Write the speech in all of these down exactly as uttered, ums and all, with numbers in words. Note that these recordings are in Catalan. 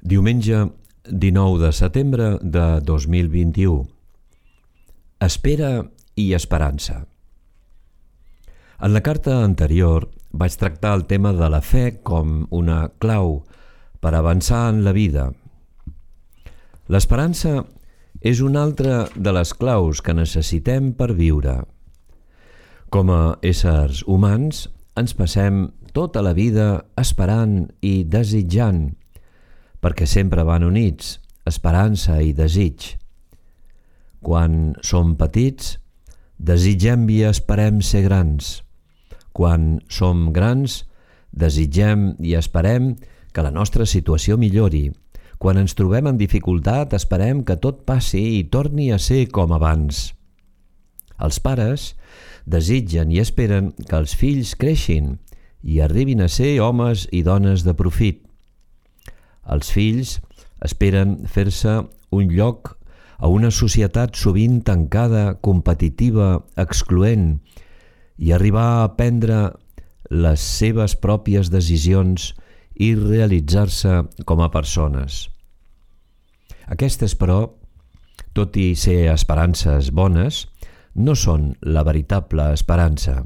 Diumenge dinou de setembre de dos mil vint-i-u. Espera i esperança. En la carta anterior vaig tractar el tema de la fe com una clau per avançar en la vida. L'esperança és una altra de les claus que necessitem per viure. Com a éssers humans, ens passem tota la vida esperant i desitjant, perquè sempre van units, esperança i desig. Quan som petits, desitgem i esperem ser grans. Quan som grans, desitgem i esperem que la nostra situació millori. Quan ens trobem en dificultat, esperem que tot passi i torni a ser com abans. Els pares desitgen i esperen que els fills creixin i arribin a ser homes i dones de profit. Els fills esperen fer-se un lloc a una societat sovint tancada, competitiva, excloent, i arribar a prendre les seves pròpies decisions i realitzar-se com a persones. Aquestes, però, tot i ser esperances bones, no són la veritable esperança,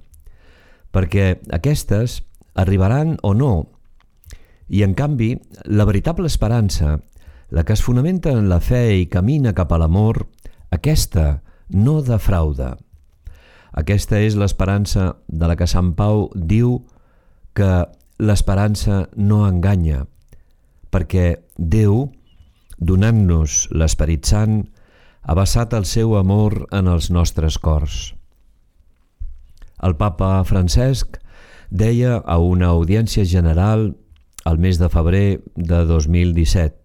perquè aquestes arribaran o no, i en canvi, la veritable esperança, la que es fonamenta en la fe i camina cap a l'amor, aquesta no defrauda. Aquesta és l'esperança de la que Sant Pau diu que l'esperança no enganya, perquè Déu, donant-nos l'Esperit Sant, ha vessat el seu amor en els nostres cors. El papa Francesc deia a una audiència general el mes de febrer de dos mil disset: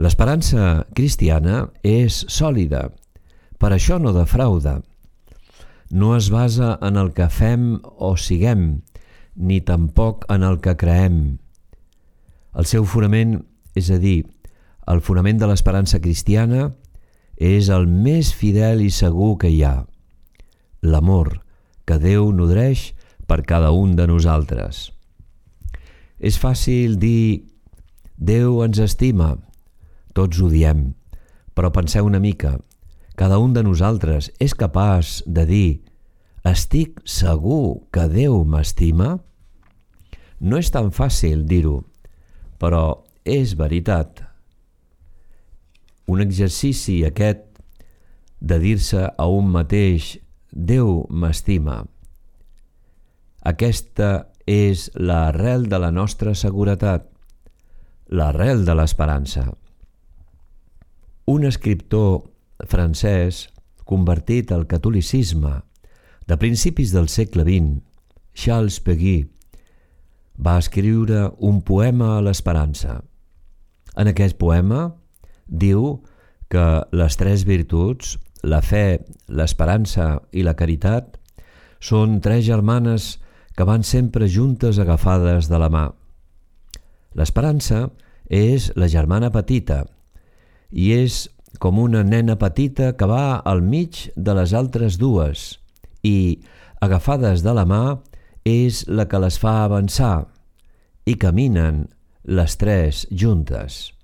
l'esperança cristiana és sòlida, per això no defrauda. No es basa en el que fem o siguem, ni tampoc en el que creem. El seu fonament, és a dir, el fonament de l'esperança cristiana, és el més fidel i segur que hi ha: l'amor que Déu nodreix per cada un de nosaltres. És fàcil dir Déu ens estima, tots ho diem, però penseu una mica, cada un de nosaltres és capaç de dir estic segur que Déu m'estima? No és tan fàcil dir-ho, però és veritat. Un exercici aquest de dir-se a un mateix Déu m'estima. Aquesta és l'arrel de la nostra seguretat, l'arrel de l'esperança. Un escriptor francès convertit al catolicisme de principis del segle vint, Charles Péguy, va escriure un poema a l'esperança. En aquest poema diu que les tres virtuts, la fe, l'esperança i la caritat, són tres germanes que van sempre juntes agafades de la mà. L'esperança és la germana petita i és com una nena petita que va al mig de les altres dues i, agafades de la mà, és la que les fa avançar i caminen les tres juntes.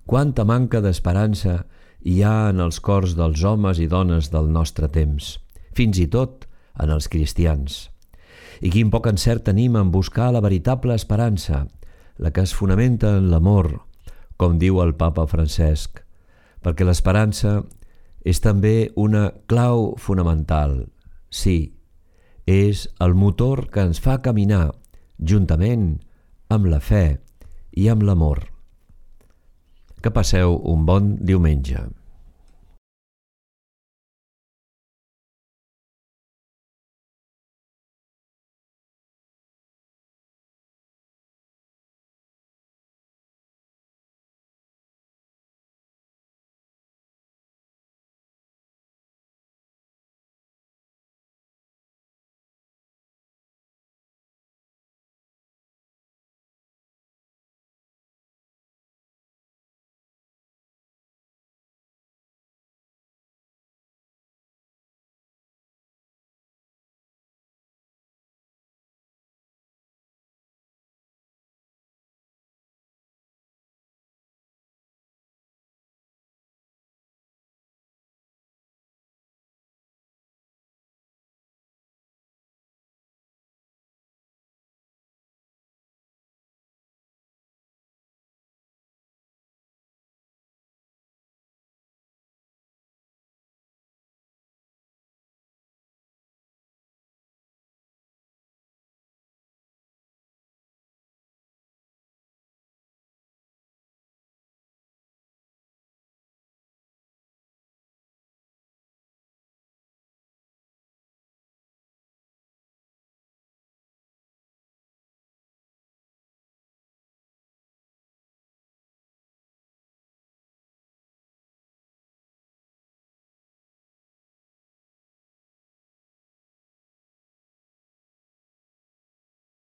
Quanta manca d'esperança hi ha en els cors dels homes i dones del nostre temps, fins i tot en els cristians. I quin poc encert tenim en buscar la veritable esperança, la que es fonamenta en l'amor, com diu el papa Francesc, perquè l'esperança és també una clau fonamental. Sí, és el motor que ens fa caminar juntament amb la fe i amb l'amor. Que passeu un bon diumenge.